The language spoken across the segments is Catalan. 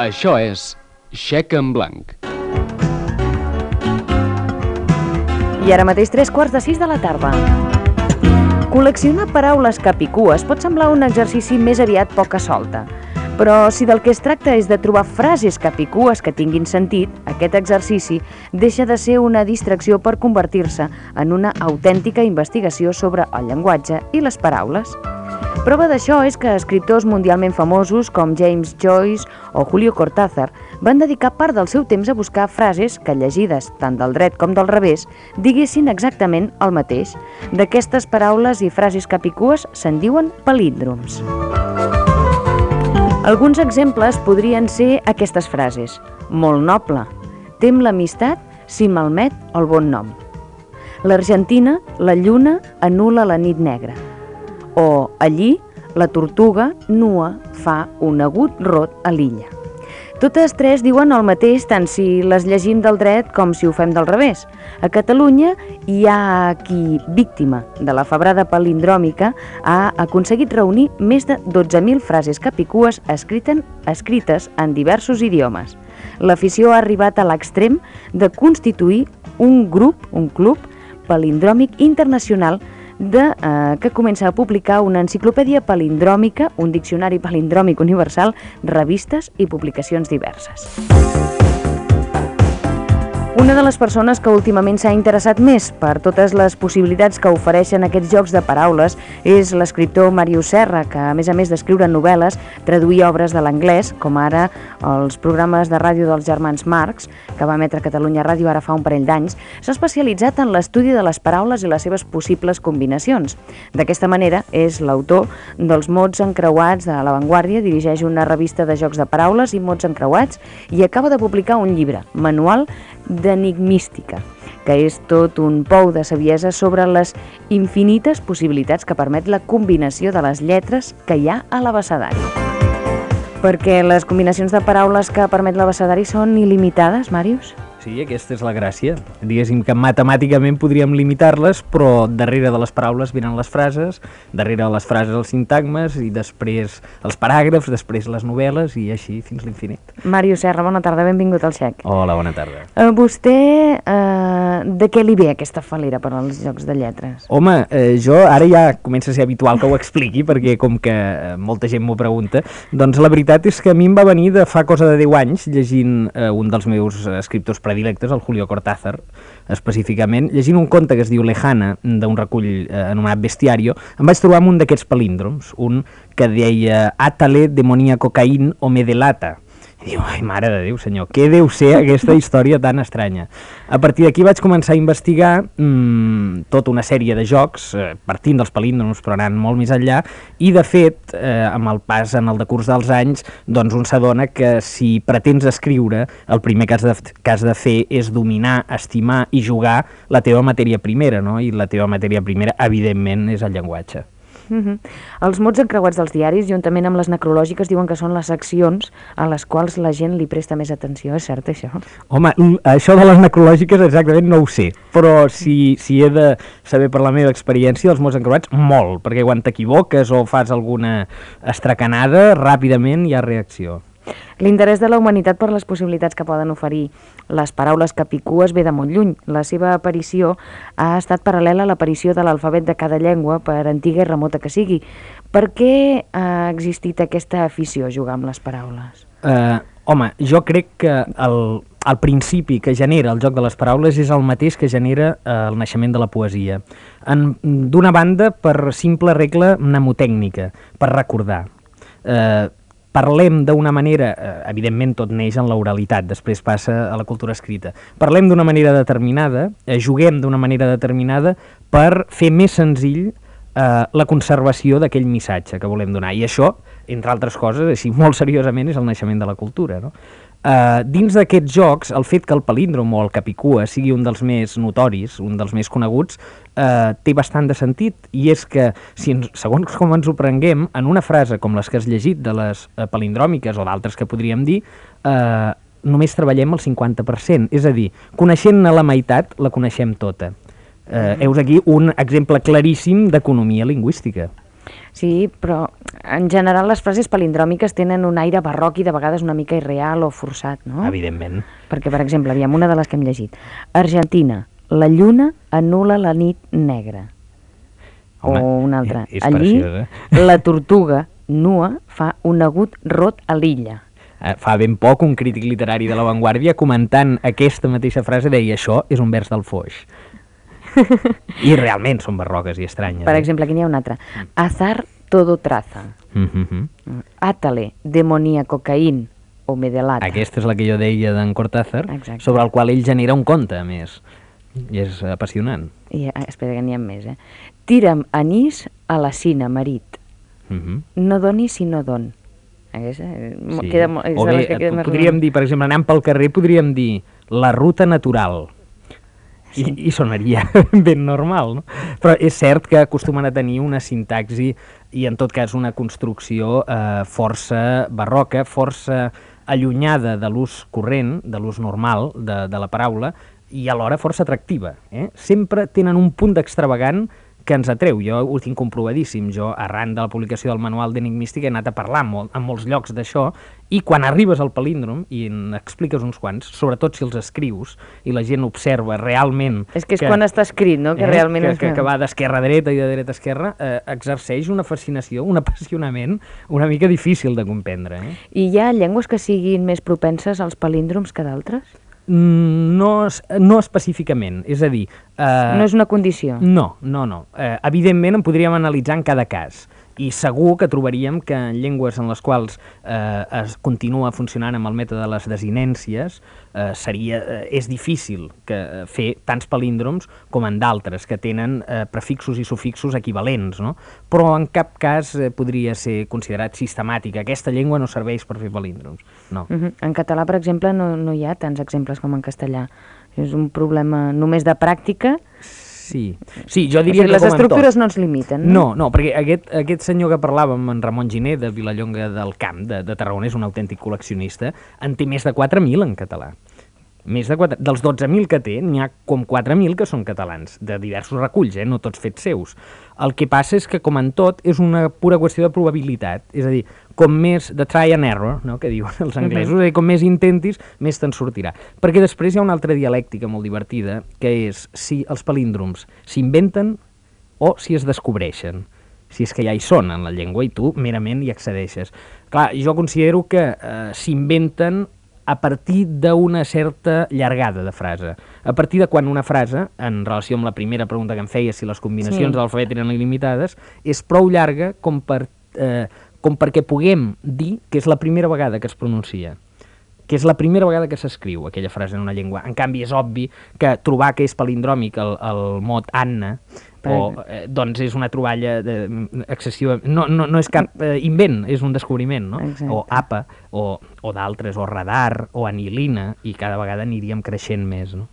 Això és Xec en Blanc. I ara mateix 3:15 de la tarda. Col·leccionar paraules capicues pot semblar un exercici més aviat poca solta. Però si del que es tracta és de trobar frases capicues que tinguin sentit, aquest exercici deixa de ser una distracció per convertir-se en una autèntica investigació sobre el llenguatge i les paraules. Prova d'això és que escriptors mundialment famosos com James Joyce o Julio Cortázar van dedicar part del seu temps a buscar frases que, llegides tant del dret com del revés, diguessin exactament el mateix. D'aquestes paraules i frases capicues se'n diuen palíndroms. Alguns exemples podrien ser aquestes frases. Molt noble. Tem l'amistat si malmet el bon nom. L'Argentina, la lluna, anul·la la nit negra. O allí, la tortuga nua fa un agut rot a l'illa. Totes tres diuen el mateix tant si les llegim del dret com si ho fem del revés. A Catalunya hi ha qui, víctima de la febrada palindròmica, ha aconseguit reunir més de 12.000 frases capicues escrites en diversos idiomes. L'afició ha arribat a l'extrem de constituir un club palindròmic internacional que comença a publicar una enciclopèdia palindròmica, un diccionari palindròmic universal, revistes i publicacions diverses. Una de les persones que últimament s'ha interessat més per totes les possibilitats que ofereixen aquests jocs de paraules és l'escriptor Màrius Serra, que a més d'escriure novel·les, traduir obres de l'anglès, com ara els programes de ràdio dels germans Marx, que va emetre Catalunya Ràdio ara fa un parell d'anys, s'ha especialitzat en l'estudi de les paraules i les seves possibles combinacions. D'aquesta manera, és l'autor dels Mots encreuats de La Vanguardia, dirigeix una revista de jocs de paraules i mots encreuats i acaba de publicar un llibre, Manual d'enigmística, que és tot un pou de saviesa sobre les infinites possibilitats que permet la combinació de les lletres que hi ha a l'abecedari. Perquè les combinacions de paraules que permet l'abecedari són il·limitades, Màrius? Sí, aquesta és la gràcia. Diguéssim que matemàticament podríem limitar-les, però darrere de les paraules venen les frases, darrere de les frases els sintagmes i després els paràgrafs, després les novel·les i així fins l'infinit. Màrius Serra, bona tarda, benvingut al Xec. Hola, bona tarda. Vostè, de què li ve aquesta fal·lera per als jocs de lletres? Home, jo ara ja comença a ser habitual que ho expliqui, perquè com que molta gent m'ho pregunta, doncs la veritat és que a mi em va venir de fa cosa de 10 anys llegint un dels meus escriptors predilectes, el Julio Cortázar, específicament, llegint un conte que es diu Lejana, d'un recull anomenat Bestiario, em vaig trobar amb un d'aquests palíndroms, un que deia Atale demoníaco Caín o me delata. I diu, ai, mare de Déu, senyor, què deu ser aquesta història tan estranya? A partir d'aquí vaig començar a investigar tota una sèrie de jocs, partint dels palíndroms, però anant molt més enllà, i de fet, amb el pas en el decurs dels anys, doncs un s'adona que si pretens escriure, el primer que has de fer és dominar, estimar i jugar la teva matèria primera, no? I la teva matèria primera, evidentment, és el llenguatge. Els mots encreuats dels diaris, juntament amb les necrològiques, diuen que són les seccions a les quals la gent li presta més atenció. És cert, això? Home, això de les necrològiques exactament no ho sé, però si he de saber per la meva experiència dels mots encreuats, molt, perquè quan t'equivoques o fas alguna estracanada, ràpidament hi ha reacció. L'interès de la humanitat per les possibilitats que poden oferir les paraules capicues ve de molt lluny. La seva aparició ha estat paral·lela a l'aparició de l'alfabet de cada llengua, per antiga i remota que sigui. Per què ha existit aquesta afició a jugar amb les paraules? Home, jo crec que el principi que genera el joc de les paraules és el mateix que genera el naixement de la poesia. D'una banda, per simple regla mnemotècnica, per recordar. Parlem d'una manera, evidentment tot neix en l'oralitat, després passa a la cultura escrita. Parlem d'una manera determinada, juguem d'una manera determinada per fer més senzill la conservació d'aquell missatge que volem donar. I això, entre altres coses, així molt seriosament, és el naixement de la cultura, no? Dins d'aquests jocs, el fet que el palíndrom o el capicua sigui un dels més notoris, un dels més coneguts, té bastant de sentit, i és que, segons com ens ho prenguem, en una frase com les que has llegit de les palindròmiques o d'altres que podríem dir, només treballem el 50%, és a dir, coneixent-ne la meitat, la coneixem tota. Heus aquí un exemple claríssim d'economia lingüística. Sí, però En general, les frases palindròmiques tenen un aire barroc i de vegades una mica irreal o forçat, no? Evidentment. Perquè, per exemple, aviam, una de les que hem llegit. Argentina, la lluna anul·la la nit negra. Home, o una altra. és Allí, preciós, la tortuga nua fa un agut rot a l'illa. Fa ben poc un crític literari de La Vanguardia comentant aquesta mateixa frase deia això és un vers del Foix. I realment són barroques i estranyes. Per exemple, aquí n'hi ha una altra. Azar todo traza. Átale, demoníaco Caín o Medelata. Aquesta és la que jo deia d'en Cortázar, Exacte. sobre el qual ell genera un conte, a més. I és apassionant. I, espera, que n'hi ha més, Tira'm anís a la cina, marit. No doni si no don. Aquesta, Sí. queda, és O de les bé, que queda més podríem dir, per exemple, anant pel carrer, podríem dir la ruta natural. I sonaria ben normal, no? Però és cert que acostumen a tenir una sintaxi i, en tot cas, una construcció força barroca, força allunyada de l'ús corrent, de l'ús normal de la paraula, i alhora força atractiva. Sempre tenen un punt d'extravagant que ens atreu. Jo ho tinc comprovadíssim. Jo, arran de la publicació del manual d'enigmística, he anat a parlar en molts llocs d'això, i quan arribes al palíndrom i n'expliques uns quants, sobretot si els escrius i la gent observa realment... És que és quan està escrit, no? Que realment... Que va d'esquerra a dreta i de dreta a esquerra, exerceix una fascinació, un apassionament una mica difícil de comprendre. I hi ha llengües que siguin més propenses als palíndroms que d'altres? No específicament, és a dir... No és una condició? No. Evidentment en podríem analitzar en cada cas, i segur que trobaríem que en llengües en les quals es continua funcionant amb el mètode de les desinències és difícil fer tants palíndroms com en d'altres que tenen prefixos i sufixos equivalents, no? Però en cap cas podria ser considerat sistemàtic. Aquesta llengua no serveix per fer palíndroms, no. En català, per exemple, no hi ha tants exemples com en castellà. És un problema només de pràctica. Sí, jo diria que les com en estructures tot. no ens limiten, no? No, perquè aquest senyor que parlàvem, en Ramon Giner, de Vilallonga del Camp, de Tarragona, és un autèntic col·leccionista, en té més de 4.000 en català. Més de 4, dels 12.000 que té, n'hi ha com 4.000 que són catalans, de diversos reculls, no tots fets seus. El que passa és que, com en tot, és una pura qüestió de probabilitat. És a dir, com més de try and error, no?, que diuen els anglesos, és a dir, com més intentis, més te'n sortirà. Perquè després hi ha una altra dialèctica molt divertida, que és si els palíndroms s'inventen o si es descobreixen. Si és que ja hi són en la llengua i tu merament hi accedeixes. Clar, jo considero que s'inventen a partir d'una certa llargada de frase. A partir de quan una frase, en relació amb la primera pregunta que em feia, si les combinacions de l'alfabet eren il·limitades, és prou llarga com perquè puguem dir que és la primera vegada que es pronuncia, que és la primera vegada que s'escriu aquella frase en una llengua. En canvi, és obvi que trobar que és palindròmic el mot Anna doncs és una troballa excessiva, no és cap invent, és un descobriment, no? Exacte. O APA, o d'altres, o radar, o anilina, i cada vegada aniríem creixent més, no?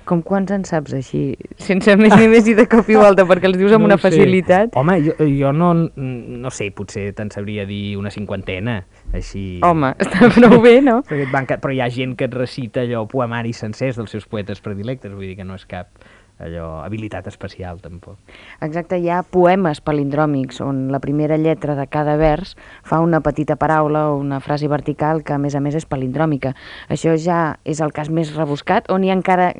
Com quants en saps així, sense més ni més i de cop i volta, perquè els dius amb una facilitat? Home, jo no sé, potser te'n sabria dir una 50, així... Home, està prou bé, no? Però hi ha gent que et recita allò poemaris sencers dels seus poetes predilectes, vull dir que no és cap habilitat especial, tampoc. Exacte, hi ha poemes palindròmics on la primera lletra de cada vers fa una petita paraula o una frase vertical que, a més és palindròmica. Això ja és el cas més rebuscat o n'hi ha encara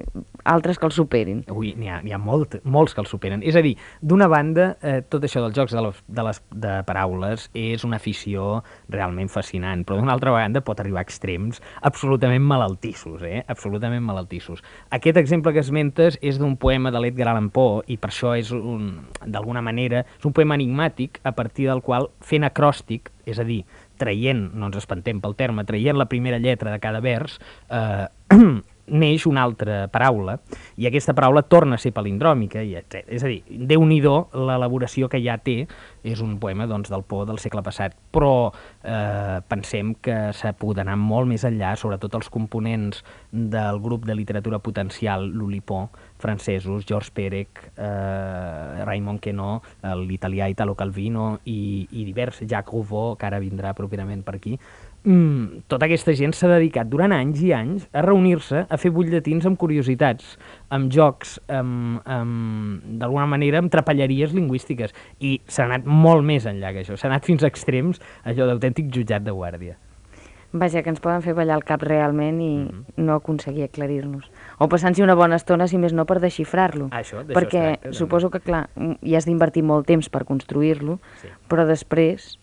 altres que el superin? Ui, n'hi ha molts que el superen. És a dir, d'una banda, tot això dels jocs de paraules és una afició realment fascinant, però d'una altra banda pot arribar a extrems absolutament malaltissos, absolutament malaltissos. Aquest exemple que esmentes és d'un poema de l'Edgar Allan Poe, i per això és d'alguna manera, és un poema enigmàtic a partir del qual, fent acròstic, és a dir, traient, no ens espantem pel terme, traient la primera lletra de cada vers, neix una altra paraula, i aquesta paraula torna a ser palindròmica, és a dir, Déu-n'hi-do l'elaboració que ja té, és un poema del Poe del segle passat, però pensem que s'ha pogut anar molt més enllà, sobretot els components del grup de literatura potencial l'Oulipo, francesos, Georges Perec, Raymond Queneau, l'italià Italo Calvino i divers, Jacques Rouveau, que ara vindrà properament per aquí, tota aquesta gent s'ha dedicat durant anys i anys a reunir-se, a fer butlletins amb curiositats, amb jocs, d'alguna manera amb trapelleries lingüístiques, i s'ha anat molt més enllà que això, s'ha anat fins a extrems, allò d'autèntic jutjat de guàrdia. Vaja, que ens poden fer ballar el cap realment i no aconseguir aclarir-nos. O passant-s'hi una bona estona, si més no, per desxifrar-lo. D'això Perquè es tracta, suposo que, clar, hi has d'invertir molt temps per construir-lo, Sí. però després,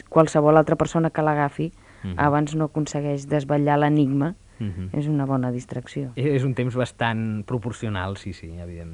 qualsevol altra persona que l'agafi, abans no aconsegueix desvetllar l'enigma, és una bona distracció. És un temps bastant proporcional, sí, evidentment.